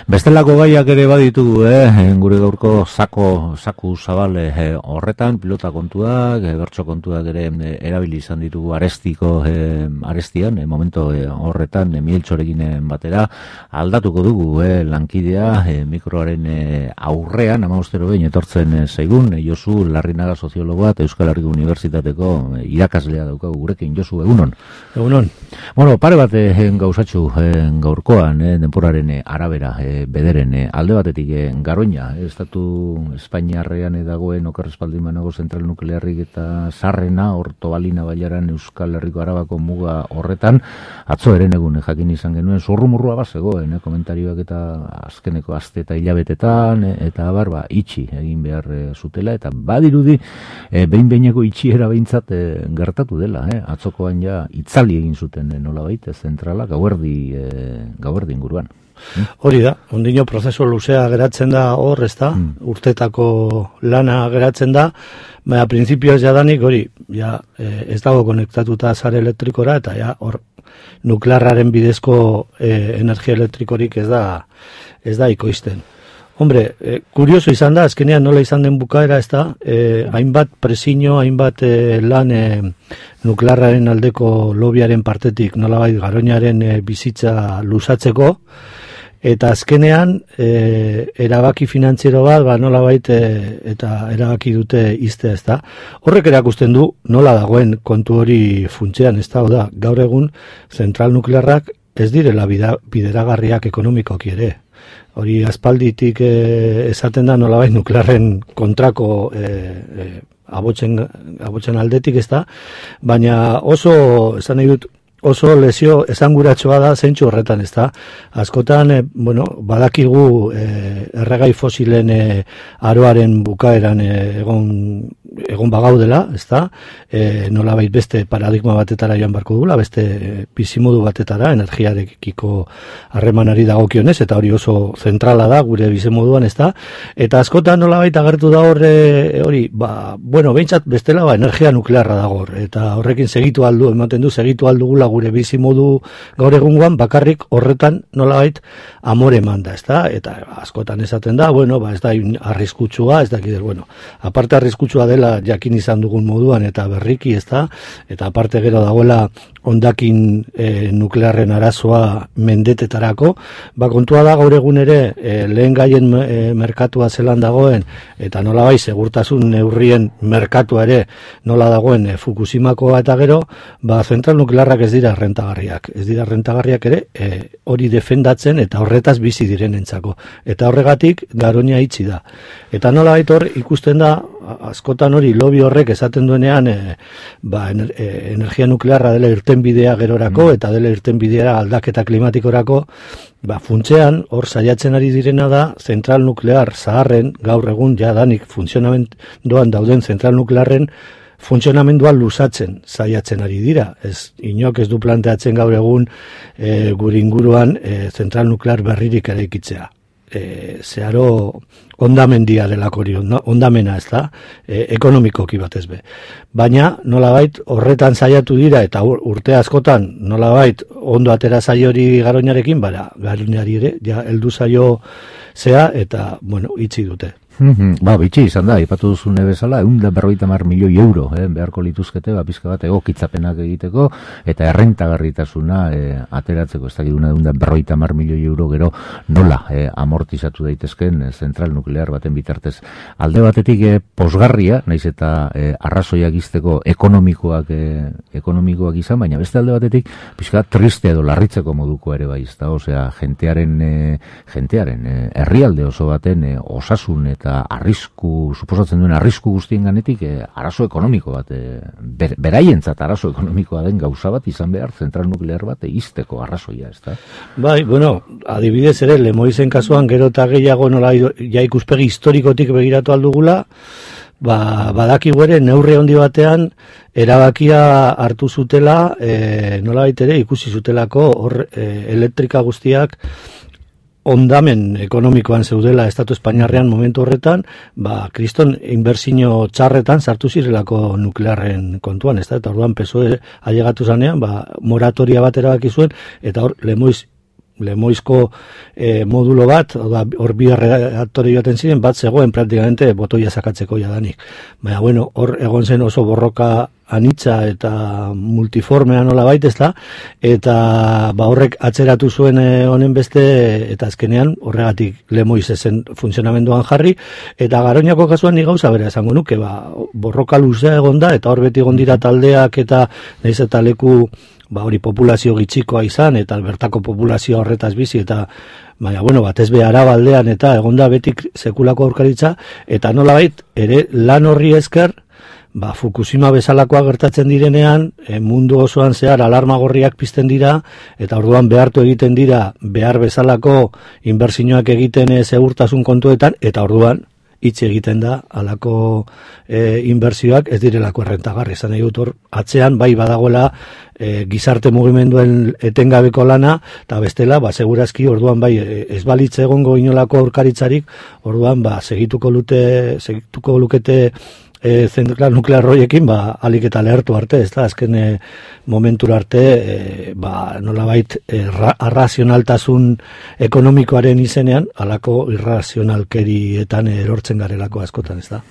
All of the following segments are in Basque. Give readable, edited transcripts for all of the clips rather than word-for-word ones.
Bestelako gaiak ere baditugu, gure gaurko zaku zabal horretan, pilota kontuak, bertso kontuak ere erabili izan ditugu arestian, momento horretan, Mieltxorekin batera, aldatuko dugu lankidea, mikroaren aurrean, 15 behin etortzen zaigun, Josu Larrinaga soziologoa eta Euskal Herriko Unibertsitateko irakaslea daukagu gurekin. Josu, egunon. Egunon. Bueno, pare bat gauzatxu gaurkoan, denporaren arabera, bederen, alde batetik Garoña, estatu Espainiarrean dagoen okerrespaldin banago zentral nuklearrik eta zarrena, Ortobalina bailaran Euskal Herriko Arabako muga horretan, atzo eren egun jakin izan genuen, zurrumurrua bazegoen, komentarioak eta azkeneko aste eta hilabetetan, eta itxi egin behar zutela, eta badirudi, behin-behineko itxiera behintzat gertatu dela, atzokoan ja itzali egin zuten nolabait, zentrala, gauerdi inguruan. Hori da, ondino prozesu luzea geratzen da hor, ez da, urtetako lana geratzen da, baina printzipioz jadanik hori, ez dago konektatuta sare elektrikora, eta hor nuklearraren bidezko energia elektrikorik ez da ikoizten. Hombre, kurioso izan da, azkenean nola izan den bukaera, ez da, hainbat presiño, hainbat lan nuklearraren aldeko lobiaren partetik, nolabait Garoñaren bizitza luzatzeko, eta azkenean erabaki finantziero bat, nolabait eta erabaki dute iztea, ez da. Horrek erakusten du nola dagoen kontu hori funtsean, ez da, gaur egun zentral nuklearrak ez direla bideragarriak ekonomikoki ere. Hori aspalditik esaten da nolabait nuklearren kontrako abotzen aldetik, ez da, baina esan nahi dut, oso lesio esanguratsua da zentsu horretan, ez da. Askotan, badakigu erregai fosilen aroaren bukaeran egon bagaudela, ez da, nolabait beste paradigma batetara joan barko dugula, beste bizimodu batetara, energiarekiko harremanari dagokionez, eta hori oso zentrala da gure bizimoduan, ez da, eta askotan nolabait agertu da hori, behintzat bestela energia nuklearra da hor, eta horrekin segitu aldugula gure bizimodu gaur egungoan, bakarrik horretan nolabait amore eman da, ez da, eta askotan esaten da, ez da arriskutsua, ez da, aparte arriskutsua dela jakin izan dugun moduan eta berriki, ez da, eta aparte gero dagoela hondakin nuklearren arazoa mendetetarako, kontua da gaur egun ere lehen gaien merkatua zelan dagoen, eta nolabait segurtasun neurrien merkatua ere nola dagoen Fukushimakoa eta gero, zentral nuklearrak ez dira rentagarriak ere hori defendatzen eta horretaz bizi direnentzako. Eta horregatik Garoña itxi da. Eta nolabait hor ikusten da, askotan hori lobi horrek esaten duenean energia nuklearra dela irtenbidea gerorako eta dela irtenbidea aldaketa klimatikorako, funtsean hor saiatzen ari direna da zentral nuklear zaharren, gaur egun jadanik funtzionamenduan dauden zentral nuklearren funtzionamendua luzatzen saiatzen ari dira. Inok ez du planteatzen gaur egun gure inguruan zentral nuklear berririk eraikitzea. Zeharo ondamendia delako hori, ondamena ez da, ekonomikoki batez be. Baina nolabait horretan saiatu dira eta urte askotan nolabait ondo atera zaio hori Garoñarekin, Garoñari ere, heldu zaio zea eta, itxi dute. Bitxi izan da, ipatu duzune bezala, 150 milioi euro beharko lituzkete, pizka bat egokitzapenak egiteko, eta errentagarritasuna ateratzeko, ez dakiduna 150 milioi euro gero nola amortizatu daitezken zentral nuklear baten bitartez. Alde batetik posgarria, naiz eta arrazoiak izteko ekonomikoak izan, baina beste alde batetik, pizka triste edo larritzeko moduko ere bai, osea, jentearen herrialde oso baten osasun eta suposatzen duen arrisku guztien ganetik, arazo ekonomiko bat, beraientzat arazo ekonomikoa den gauza bat izan behar zentral nuklear bat izteko arrazoia, ez da? Adibidez ere, Lemoizen kasuan gero eta gehiago nola ikuspegi historikotik begiratu aldugula, badakigu ere neurri handi batean erabakia hartu zutela, nolabait ere ikusi zutelako elektrika guztiak ondamen ekonomikoan zeudela Estatu Espainiarrean momentu horretan, kriston inbertsio txarretan sartu zirelako nuklearren kontuan, eta orduan PSOE ailegatu zanean, moratoria bat erabaki zuen, eta hor Lemoiz Lemoizko modulo bat, hor bi reaktore joaten ziren, bat zegoen praktikamente botoia sakatzeko jadanik. Baina, bueno, hor egon zen oso borroka anitza eta multiformea nola baita, ezta, eta horrek atzeratu zuen honen beste, eta azkenean horregatik Lemoiz ezen funtzionamenduan jarri, eta Garoñako kasuan ni gauza bera esango nuke, borroka luzea egon da, eta hor beti egon dira taldeak, eta nahiz eta leku hori populazio gitxikoa izan, eta bertako populazio horretaz bizi, eta baina, bueno, batez be Arabaldean, eta egonda betik sekulako aurkaritza, eta nolabait, ere lan horri esker, Fukushima bezalakoa gertatzen direnean, mundu osoan zehar alarma gorriak pizten dira, eta orduan behartu egiten dira, behar bezalako inbertsioak egiten segurtasun kontuetan, eta orduan, hitz egiten da, alako inbertsioak ez direlako errentagarri. Esan nahi dut hor, atzean, bai badagoela gizarte mugimenduen etengabeko lana, eta bestela, segurazki, orduan, bai, ez balitze egongo inolako aurkaritzarik, orduan, segituko lukete zentral nuklear horiekin, alik eta lehertu arte, ez da, azken momentura arte, nolabait, arrazionaltasun ekonomikoaren izenean, alako irrazionalkerietan erortzen garelako askotan, ez da.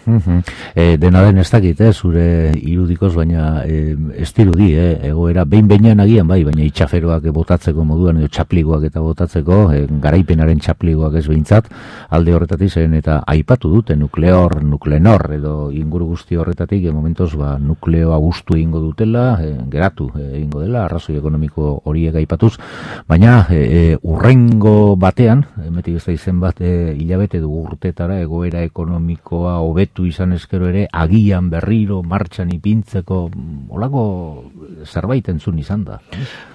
Dena den ez dakit, zure irudikoz, baina ez dirudi, egoera, behin-behinan agian, baina itxaferoak botatzeko moduan, edo txapliguak eta botatzeko, garaipenaren txapliguak ez behintzat, alde horretatik zen, eta aipatu dute nuklenor, edo inguru guzti horretatik, momentoz, nukleoa gustu egingo dutela, geratu egingo dela, arrazoi ekonomiko horiek aipatuz, baina urrengo batean, emetik ez da izen bat, hilabete du urtetara, egoera ekonomikoa hobetu izan eskero ere, agian berriro, martxan ipintzeko, olako zerbait entzun izan da.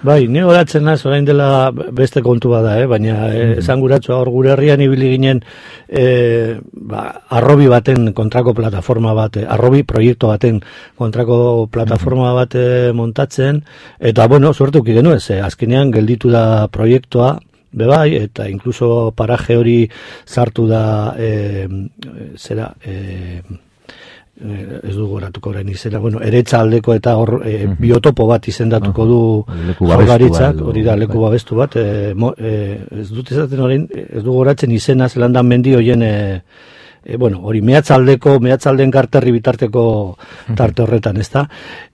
Bai, ni horatzen naz, orain dela beste kontu bada, baina esanguratsua hor gure herrian ibili ginen arrobi baten kontrako plataforma bat, arrobi proiektu baten kontrako plataforma bat montatzen, eta bueno, suertuki genuen, azkenean gelditu da proiektua, bebai, eta inkluso paraje hori sartu da ez dugu oratuko orain izena, eretza aldeko eta hor biotopo bat izendatuko du Jaurlaritzak, hori da leku babestu bat, ez dut ezaten orain, ez dugu oratzen izena Zelandan mendi hoien hori mehatzalden karterri bitarteko tarte horretan, ez da?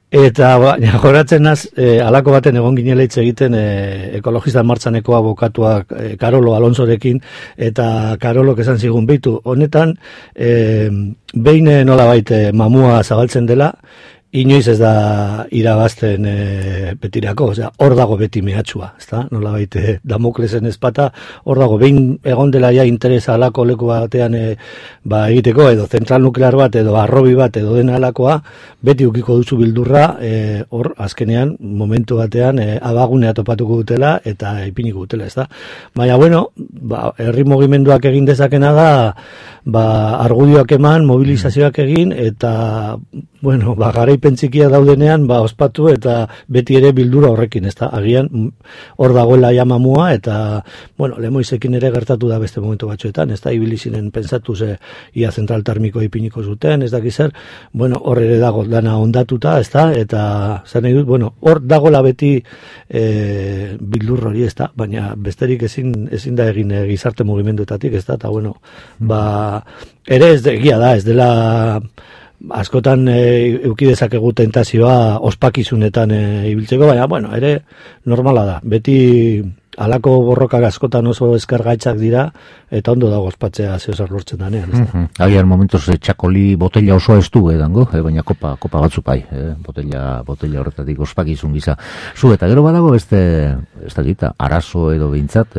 Eta joratzen naz, alako baten egon ginela hitz egiten ekologista martxaneko abokatuak Karolo Alonsorekin, eta Karolok esan zigun behitu. Honetan, behin nolabait mamua zabaltzen dela, inoiz ez da irabazten betirako, hor dago beti mehatxua, ezta? Nolabait Damoklesen ezpata, hor dago, behin egon dela ja interesa alako leku batean egiteko, edo zentral nuklear bat, edo arrobi bat, edo dena alakoa, beti ukiko duzu bildurra, hor azkenean, momentu batean, abagunea topatuko dutela, eta ipiniko dutela, ezta? Baina, bueno, herri mugimenduak egin dezakena da, argudioak eman, mobilizazioak egin, eta, bueno, garaipen txikia daudenean, ospatu eta beti ere bildura horrekin, ez da, agian hor dagoela jamamua, eta, bueno, Lemoizekin ere gertatu da beste momentu batzuetan, ez da, ibilizinen pentsatu ia zentral termiko ipiniko zuten, ez dakiz zer, bueno, hor ere dago dana ondatuta, ez da, eta zer nahi dut, bueno, hor dagoela beti bildur hori, ez da, baina besterik ezin da egin gizarte mugimenduetatik, ez da, eta, bueno, ere ez egia da, ez dela askotan euki dezakegu tentazioa ospakizunetan ibiltzeko, baina, bueno, ere normala da, beti alako borrokak askotan oso eskergaitzak dira, eta ondo dago ospatzea zehosar lortzen danean. Agian momentoz txakoli botella osoa ez du edango, baina kopa batzu pai, botella horretatik ospakizun gisa. Zu, eta gero badago beste, ez da gita, arazo edo behintzat,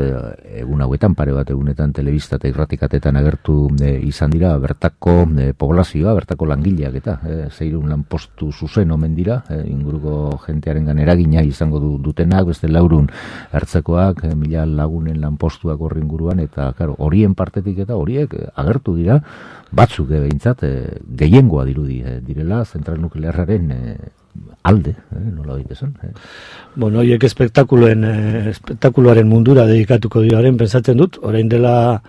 egun hauetan, pare bat egunetan telebista eta irratikatetan agertu izan dira, bertako poblazioa, bertako langileak eta zeirun lanpostu zuzen omen dira, inguruko jentearen eragina izango dutenak, beste laurun ertzekoak, mila lagunen lanpostuak horri inguruan, eta claro, horien partetik eta horiek agertu dira, batzuk behintzat gehiengoa direla zentral nuklearraren alde, nola baitezen. Bueno, horiek espektakuloaren mundura dedikatuko diraren pentsatzen dut, orain dela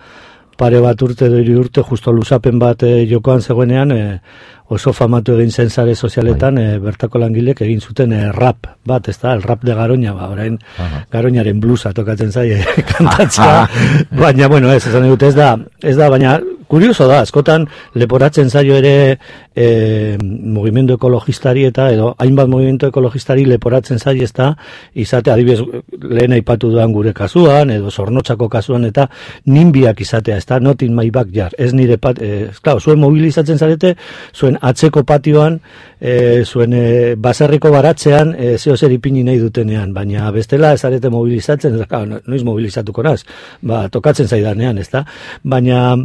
pare bat urte edo 3 urte justo luzapen bat jokoan zegoenean oso famatu egin zen sare sozialetan bertako langilek egin zuten rap bat, ez da, el rap de Garoña, orain Garoñaren blusa tokatzen zaie kantatzea, baina, bueno, esan dut, ez da, baina kurioso da, askotan leporatzen zaio ere mugimendu ekologistari eta edo hainbat mugimendu ekologistari leporatzen zaio ez da, izate adibidez lehen aipatu duan gure kasuan, edo Zornotzako kasuan eta ninbiak izatea, ez da, not in my backyard, ez nire zuen mobilizatzen zarete, zuen atzeko patioan, zuen baserriko baratzean, zeo zer ipini nahi dutenean, baina bestela ez arete mobilizatzen, noiz mobilizatuko naz, tokatzen zaidanean, ez da, baina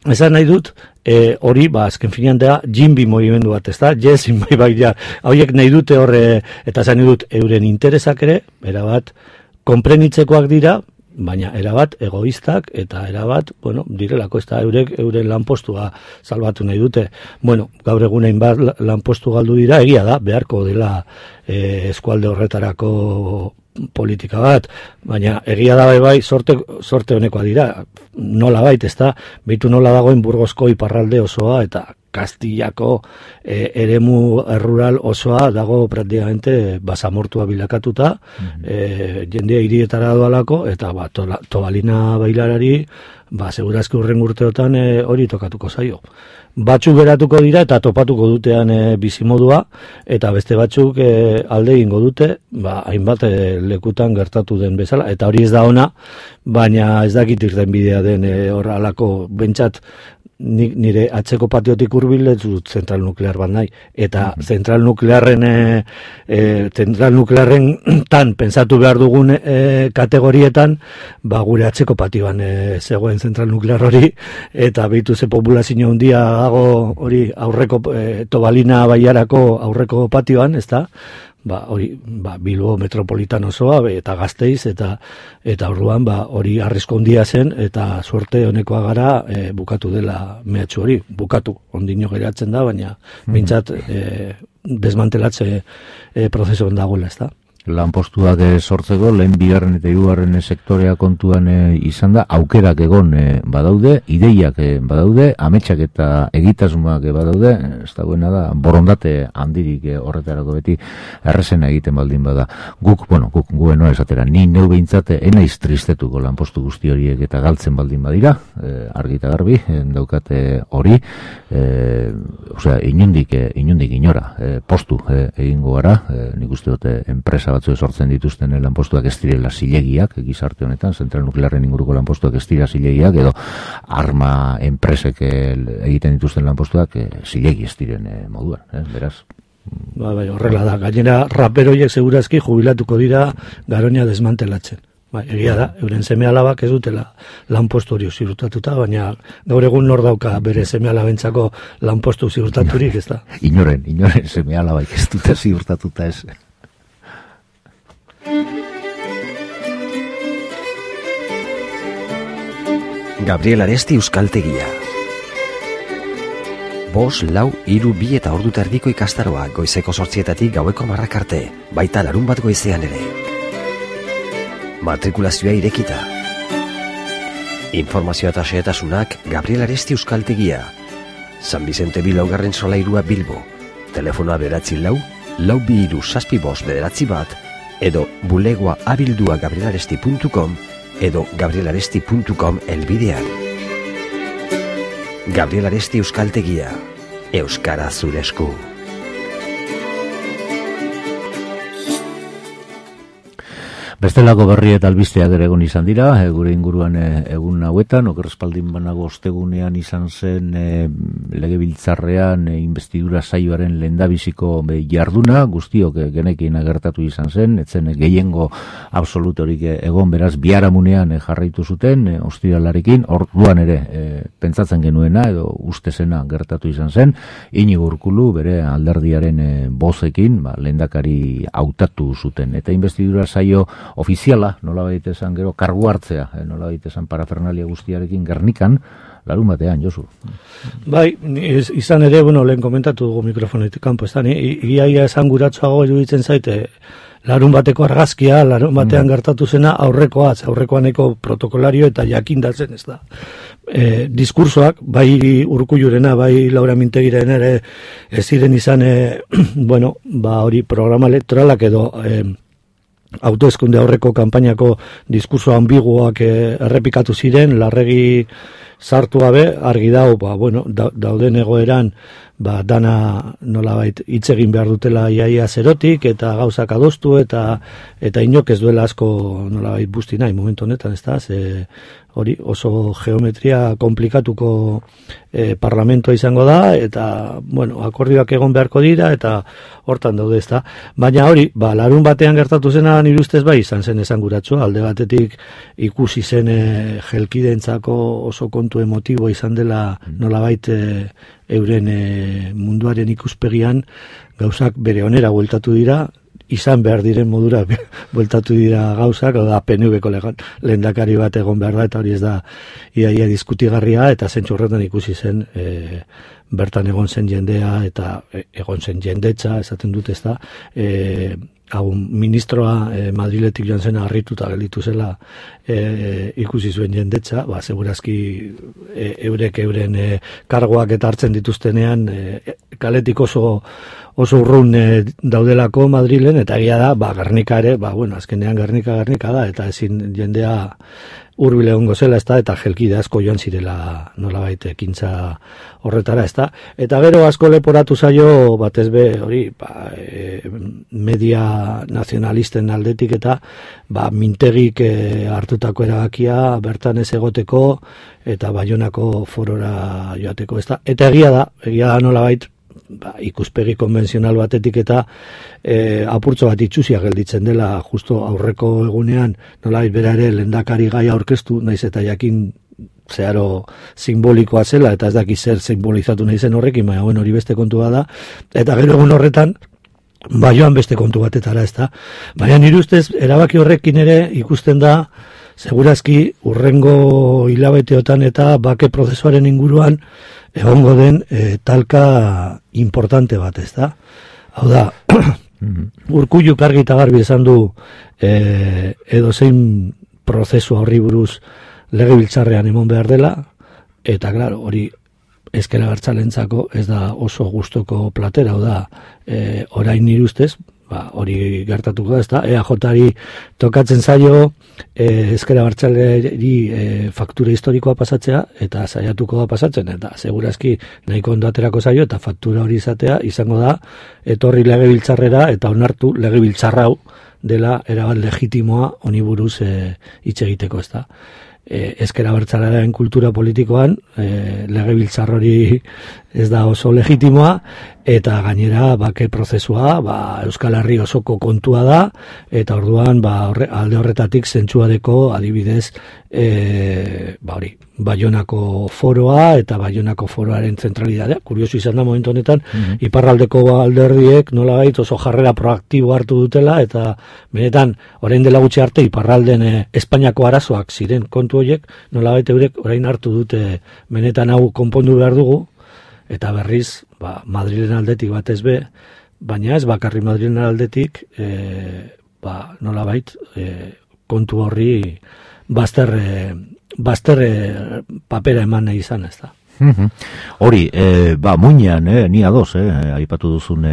esan nahi dut, hori, azken finean da, jimbi movimendu bat, ez da, yes in my backyard, hauek nahi dute horre, eta esan nahi dut, euren interesak ere, erabat, konprenitzekoak dira, baina erabat egoistak eta erabat, direlako ez da euren lanpostua salbatu nahi dute. Gaur egunein bat lanpostu galdu dira, egia da, beharko dela eskualde horretarako politika bat, baina egia da bai sorte honekoa dira, nola bait, ez da, behitu nola dagoen Burgosko iparralde osoa eta Kastillako eremu rural osoa dago praktikamente basamortua bilakatuta, jendea hirietara doalako, eta Tobalina bailarari, segurazki urren urteotan hori tokatuko zaio. Batzuk beratuko dira eta topatuko dutean bizimodua, eta beste batzuk alde egingo dute, hainbat lekutan gertatu den bezala, eta hori ez da ona, baina ez dakit irten bidea den horrelako bentsat, nire atzeko patiotik hurbil ez dut zentral nuklear bat nahi, eta zentral nuklearren tan pensatu behar dugun kategorietan, gure atzeko patioan zegoen zentral nuklear hori, eta behitu ze populazio handia dago hori aurreko Tobalina baiarako aurreko patioan, ez da? Hori, Bilbo metropolitan osoa, eta Gasteiz, eta orduan, hori arrizko handia zen, eta suerte honekoa gara bukatu dela mehatxu hori, bukatu, ondino geratzen da, baina bintzat desmantelatze prozesuan dagoela, ez da. Lanpostuak sortzeko, lehen bigarren eta hirugarren sektorea kontuan izan da, aukerak egon badaude, ideiak badaude, ametsak eta egitasmoak badaude, ez dagoena da, borondate handirik horretarako beti errezena egiten baldin bada. Guk gueno esatera, ni neu behintzat enaiz tristetuko lanpostu guzti horiek eta galtzen baldin badira, argi eta garbi, daukate hori, inundik inora, postu egingo gara, nik uste dute enpresa batzu sortzen dituzten lanpostuak ez direla zilegiak, gizarte honetan, zentral nuklearren inguruko lanpostuak ez dira zilegiak, edo arma enpresek egiten dituzten lanpostuak zilegi ez diren moduan, beraz. Horrela da, gainera raperoiek segurazki jubilatuko dira Garoña desmantelatzen. Egia da, euren seme alabak ez dutela lanpostu hori ziurtatuta, baina gaur egun nor dauka bere seme alabentzako lanpostu ziurtaturik, ez da? Inoren seme alabak ez dute ziurtatuta ez. Gabriel Aresti Euskaltegia. 5, 4, 3, 2 eta ordu terdiko ikastaroa goizeko 8 gaueko 10 arte, baita larun bat goizean ere. Matrikulazioa irekita. Informazioa eta xehetasunak Gabriel Aresti Euskaltegia. San Vicente bi 4. solairua Bilbo. Telefonoa 9442759 edo bulegoa abildua gabrielaresti.com edo gabrielaresti.com elbidean. Gabriel Aresti Euskaltegia. Euskara zure esku. Bestelako berri eta albisteak ere egon izan dira, gure inguruan egun hauetan, okerrespaldin banago ostegunean izan zen legebiltzarrean investidura saioaren lehendabiziko jarduna, guztiok genekin agertatu izan zen, etzen gehiengo absolutorik egon, beraz biharamunean jarraitu zuten, ostiralarekin, orduan ere pentsatzen genuena edo ustezena gertatu izan zen, Iñigo Urkullu bere alderdiaren bozekin, lehendakari hautatu zuten, eta investidura saio ofiziala, nola baita esan gero, kargu hartzea, nola baita esan parafernalia guztiarekin Gernikan, larun batean, Josu. Bai, izan ere, lehen komentatu dugu mikrofonetik kanpo, ez da, ia esan guratxoago iruditzen zaite, larun bateko argazkia, larun batean gertatu zena aurrekoaneko protokolario eta jakindatzen, ez da. Diskursoak, bai Urkullurena, bai Laura Mintegiren ere, ez ziren izan, hori programa elektoralak edo autoeskunde aurreko kanpainako diskurso ambiguoak errepikatu ziren, larregi sartu gabe, argi dau, dauden egoeran, dana nolabait hitz egin behar dutela iaia zerotik, eta gauzak adostu, eta inok ez duela asko nolabait busti nahi momentu honetan, ez da, hori oso geometria komplikatuko parlamentoa izango da, eta, akordioak egon beharko dira, eta hortan daude, ez da. Baina hori, larun batean gertatu zena nire ustez bai izan zen esanguratsua, alde batetik ikusi zen jelkidentzako oso kontu emotibo izan dela nolabait euren munduaren ikuspegian gauzak bere onera bueltatu dira, izan behar diren modura bueltatu dira gauzak, da PNV-ko lehendakari bat egon behar da, eta hori ez da iaia diskutigarria, eta zentzu horretan ikusi zen bertan egon zen jendea, eta egon zen jendetza, esaten dut ez da, ministroa Madriletik joan zena harrituta gelditu zela ikusi zuen jendetza, segurazki eurek euren kargoak eta hartzen dituztenean kaletik oso urrun daudelako Madrilen, eta egia da, Gernika ere, azkenean Gernika da, eta ezin jendea hurbil egongo zela, ezta, eta jelkide asko joan zirela nolabait ekintza horretara, ezta. Eta gero asko leporatu zaio, batez be, hori, media nazionalisten aldetik eta Mintegik hartutako erabakia bertan ez egoteko eta Baionako forora joateko, ezta. Eta egia da nolabait ikuspegi konbentzional batetik eta apurtzo bat itxusia gelditzen dela justo aurreko egunean nolabait bera ere lehendakari gaia aurkeztu, naiz eta jakin zeharo simbolikoa zela eta ez daki zer simbolizatu nahi zen horrekin, baina hori beste kontu bada, eta gero egun horretan joan beste kontu batetara, ez da. Baina nire ustez erabaki horrekin ere ikusten da segurazki urrengo hilabeteotan eta bake prozesuaren inguruan egongo den talka importante bat, ez da. Hau da, Urkulluk argi eta garbi esan du edozein prozesu horri buruz legebiltzarrean emon behar dela, eta claro, hori ezker abertzalentzako ez da oso gustoko platera, hau da, orain nire ustez, hori gertatuko da, ez da, EAJ-ari tokatzen zaio ezker abertzaleri faktura historikoa pasatzea, eta saiatuko da pasatzen, eta segurazki nahiko ondo aterako zaio, eta faktura hori izatea, izango da, etorri legebiltzarrera, eta onartu legebiltzarrau dela erabat legitimoa honi buruz hitz egiteko, ez da. Ezker abertzalearen kultura politikoan legebiltzar hori ez da oso legitimoa, eta gainera bake prozesua Euskal Herri osoko kontua da, eta orduan alde horretatik zentsuadeko adibidez Baionako foroa eta Baionako foroaren zentralidadea. Kurioso izan da momentu honetan, iparraldeko alderdiek nolabait oso jarrera proaktibo hartu dutela, eta benetan orain dela gutxi arte iparralden Espainiako arazoak ziren kontu horiek, nolabait eurek orain hartu dute benetan hau konpondu behar dugu, eta berriz Madrilen aldetik batez be, baina ez bakarri Madrilen aldetik nolabait kontu horri bazter papera eman nahi izan, ez da. Hori, muinean, ni ados, aipatu duzun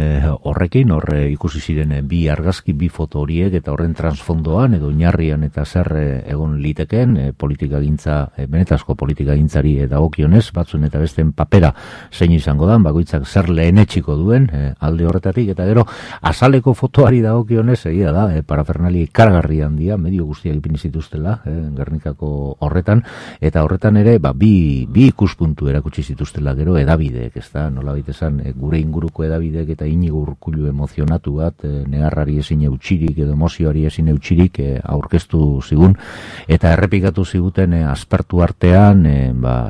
horrekin, ikusi ziren bi argazki, bi foto horiek, eta horren transfondoan, edo oinarrian eta zer egon liteken, politikagintza, benetazko politikagintzari dagokionez, batzuen eta besten papera zein izango da, bakoitzak zer lehenetxiko duen, alde horretatik, eta gero, azaleko fotoari dagokionez, egia da, parafernali karagarri handia, medio guztiak ipini zituztela, Gernikako horretan, eta horretan ere, bi ikuspuntu erakutsi zituztela gero edabideek, ez da, nolabait esan, gure inguruko edabideek eta Inigo Urkullu emozionatu bat, negarrari ezin eutxirik edo emozioari ezin eutxirik aurkeztu zigun, eta errepikatu ziguten aspertu artean,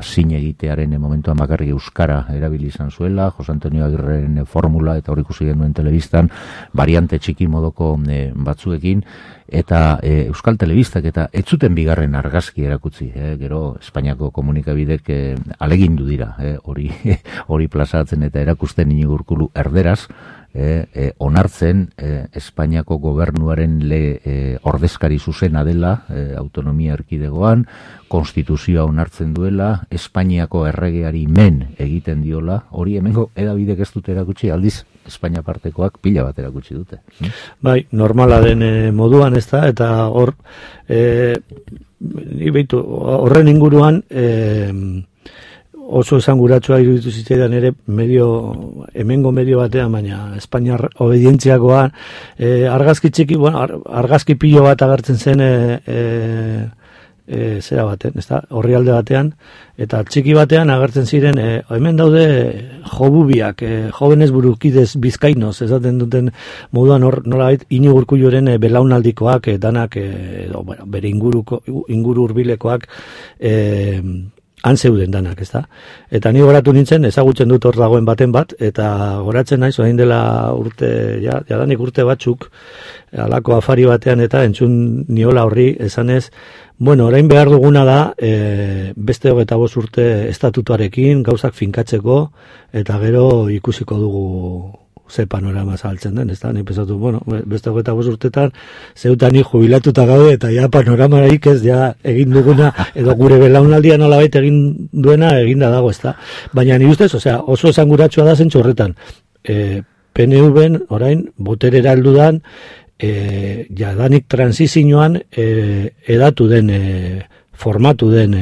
zin egitearen momentuan bakarrik euskara erabili izan zuela, Jose Antonio Agirreren formula, eta hor ikusi genuen telebistan, variante txiki modoko batzuekin, eta Euskal Telebistak eta ez zuten bigarren argazki erakutsi, gero Espainiako komunikabidek alegindu dira, hori plazatzen eta erakusten Iñigo Urkullu erderaz, onartzen Espainiako gobernuaren ordezkari zuzena dela autonomia erkidegoan, konstituzioa onartzen duela, Espainiako erregeari men egiten diola, hori hemengo edabidek ez dute erakutsi, aldiz Espainia partekoak pila bat erakutsi dute. Bai, normala den moduan ez da, eta hor, horren inguruan, oso esanguratsua iruditu zitzaidan ere hemengo medio batean, baina Espainiar obedientziakoa argazki txiki, argazki pilo bat agertzen zen zera baten, ezta? Orrialde batean, eta txiki batean agertzen ziren hemen daude jobubiak, jóvenes burukidez bizkainoz, esaten duten moduan hor nolabait Iñigo Urkulluren belaunaldikoak danak bere inguru hurbilekoak han zeuden danak, ezta? Eta ni goratu nintzen, ezagutzen dut hor dagoen baten bat, eta goratzen naiz, orain dela jadanik urte batzuk, halako afari batean eta entzun niola horri esanez, orain behar duguna da, beste 25 urte estatutuarekin, gauzak finkatzeko, eta gero ikusiko dugu ze panorama saltzen den, ez da, nik pensatu, beste 25 urtetan, zeutan jubilatuta gaude, eta ja panoramaraik ez, ja egin duguna, edo gure belaunaldia nolabait egin duena, eginda dago, ez da. Baina ni ustez, oso esanguratsua da zentzu horretan, PNV-en orain, boterera heldudan, jadanik transizioan edatu den, formatu den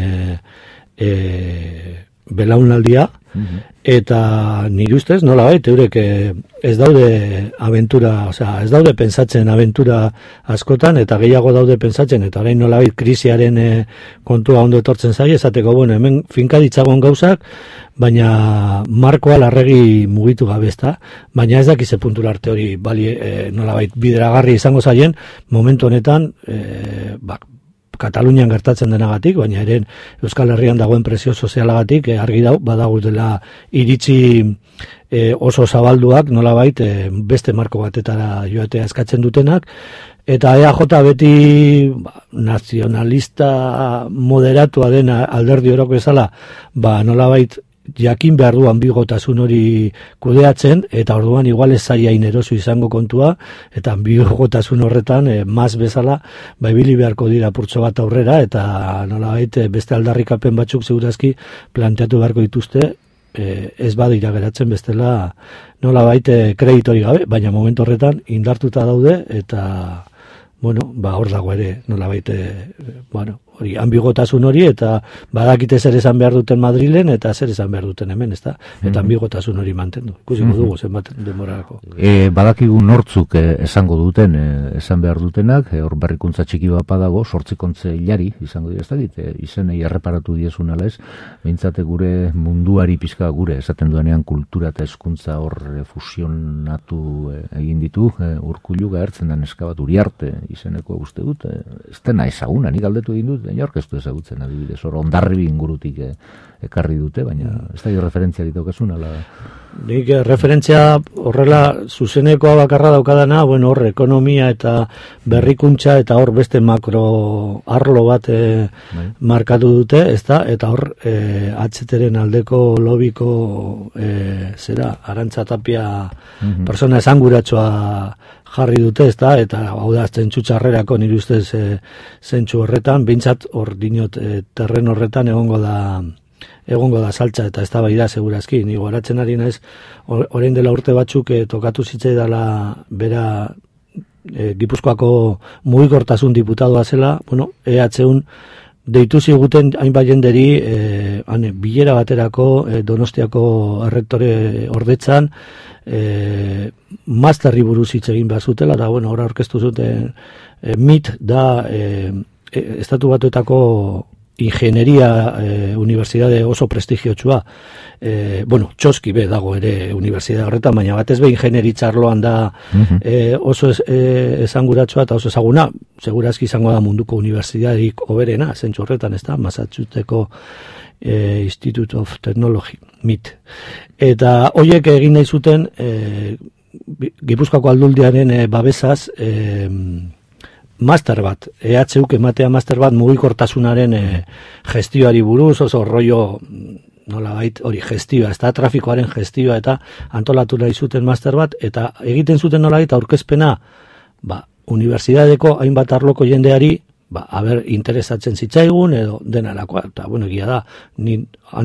belaunaldia, eta nire ustez, nolabait, eurek ez daude aventura, ez daude pentsatzen aventura askotan, eta gehiago daude pentsatzen, eta orain nolabait krisiaren kontua ondo etortzen zaie, esateko, hemen finka ditzagon gauzak, baina markoa larregi mugitu gabe, ezta, baina ez dakize puntura arte hori nolabait bideragarri izango zaien, momentu honetan, Katalunian gertatzen denagatik, baina ere Euskal Herrian dagoen presio sozialagatik argi badago dela iritzi oso zabalduak nolabait beste marko batetara joatea eskatzen dutenak, eta EAJ beti nazionalista moderatua den alderdi orok bezala, nolabait jakin behar du anbigotasun hori kudeatzen, eta orduan igual ez zaiain eroso izango kontua, eta anbigotasun horretan, maz bezala, ibili beharko dira purtso bat aurrera, eta nolabait beste aldarrikapen batzuk segurazki planteatu beharko dituzte, ez badira geratzen bestela nolabait kreditori gabe, baina momentu horretan indartuta daude, eta hor dago ere nolabait hori, anbigotasun hori, eta badakite zer esan behar duten Madrilen, eta zer esan behar duten hemen, ezta? Eta anbigotasun hori mantendu. Ikusiko dugu zenbat denborarako. Badakigu nortzuk esango duten, esan behar dutenak, hor berrikuntza txiki bat badago, 8 kontze hilari, izango dira, ez dakit, izenei erreparatu diezun ala ez, behintzate gure munduari pizka gure, esaten duenean kultura eta hezkuntza hor fusionatu egin ditu, Urkullu gaertzen da neska bat Uriarte izeneko uste dut, ez dena ezaguna, nik aldetu egin dut, orkestu ezagutzen adibidez, hor Hondarribi ingurutik ekarri dute, baina ez da referentzia ditaukasun, ala? Nik referentzia horrela zuzenekoa bakarra daukadana, hor ekonomia eta berrikuntza eta hor beste makro arlo bat markatu dute, ezta? Eta hor HTren aldeko lobiko Arantza Tapia persona esanguratsua jarri dute, ezta? Eta hau da zentzu txarrerako nire ustez zentzu horretan, behintzat hor dinot terren horretan egongo da saltza eta eztabaida segurazki. Ni goratzen ari naiz orain dela urte batzuk tokatu zitzaidala bera Gipuzkoako mugikortasun diputadoa zela, EHUn deitu ziguten hainbat jenderi bilera baterako Donostiako errektore ordetzan masterri buruz hitz egin behar zutela, da hor aurkeztu zuten MIT da Estatu Batuetako ingenieria unibertsitate oso prestigiotsua. Txoski be dago ere unibertsitate horretan, baina batez be ingenieritza arloan da oso esanguratsua eta oso ezaguna, segurazki izango da munduko unibertsitaterik hoberena, zentzu horretan, ez da, Massachusettseko Institute of Technology, MIT. Eta horiek egin nahi zuten Gipuzkoako aldundiaren babesaz master bat, EHUk ematea master bat mugikortasunaren gestioari buruz, oso rollo nolabait hori gestioa, ez da trafikoaren gestioa eta antolatu nahi zuten master bat, eta egiten zuten nolabait aurkezpena, unibertsitateko hainbat arloko jendeari, interesatzen zitzaigun edo denarakoa, eta bueno, egia da, ni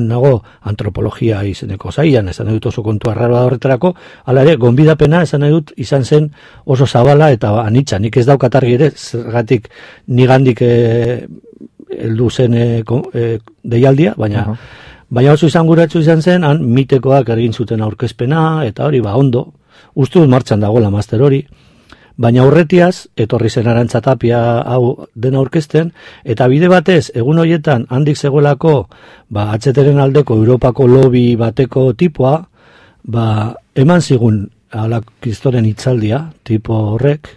nago antropologia izeneko zailan, esan nahi dut oso kontu arraroa horretarako, hala ere, gonbidapena esan nahi dut izan zen oso zabala eta anitza, nik ez daukat argi ere, zergatik nigandik heldu zen deialdia, baina oso izanguratsu izan zen, han mitekoak egin zuten aurkezpena, eta hori, ondo, uste dut martxan dagoela master hori, baina aurretiaz, etorri zen Arantza Tapia hau dena aurkezten, eta bide batez, egun horietan, handik zegoelako, HTren aldeko Europako lobby bateko tipoa, eman zigun kristoren hitzaldia, tipo horrek,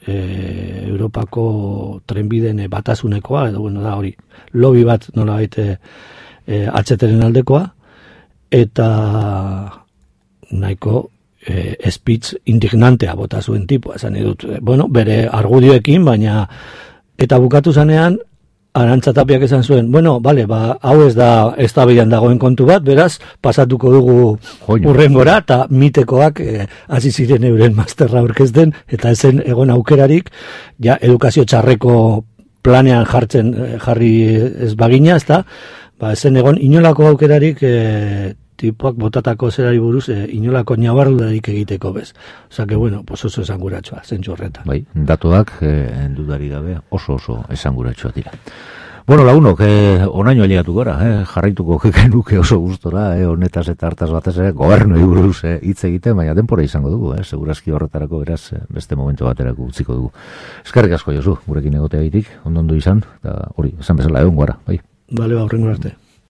Europako trenbideen batasunekoa, edo bueno, da hori, lobby bat nola baite HTren aldekoa, eta nahiko speech indignantea bota zuen tipua, esan edut, bere argudioekin, baina, eta bukatu zanean, Arantza Tapiak esan zuen, hau ez da eztabaidan dagoen kontu bat, beraz, pasatuko dugu hurrengora, eta mitekoak hasi ziren euren masterra aurkezten, eta ezen egon aukerarik, edukazio txarreko planean jarri ez bagina, ezta, ezen egon inolako aukerarik tipoak botatako zerari buruz inolako nabardudarik egiteko bez. Osa que, oso esanguratsua, zentzu horretan. Bai, datuak, dudari gabe, oso esanguratsua dira. Bueno, lagunok, onaino ailegatu gara, jarraituko genuke oso gustora, honetaz eta hartaz batez gobernu buruz hitz egiten, baina denpora izango dugu, segurazki horretarako beraz beste momentu baterako utziko dugu. Eskerrik asko Josu, gurekin egoteagaitik, ondo izan, eta hori, esan bezala egon gara, bai. Bale, horrengo arte.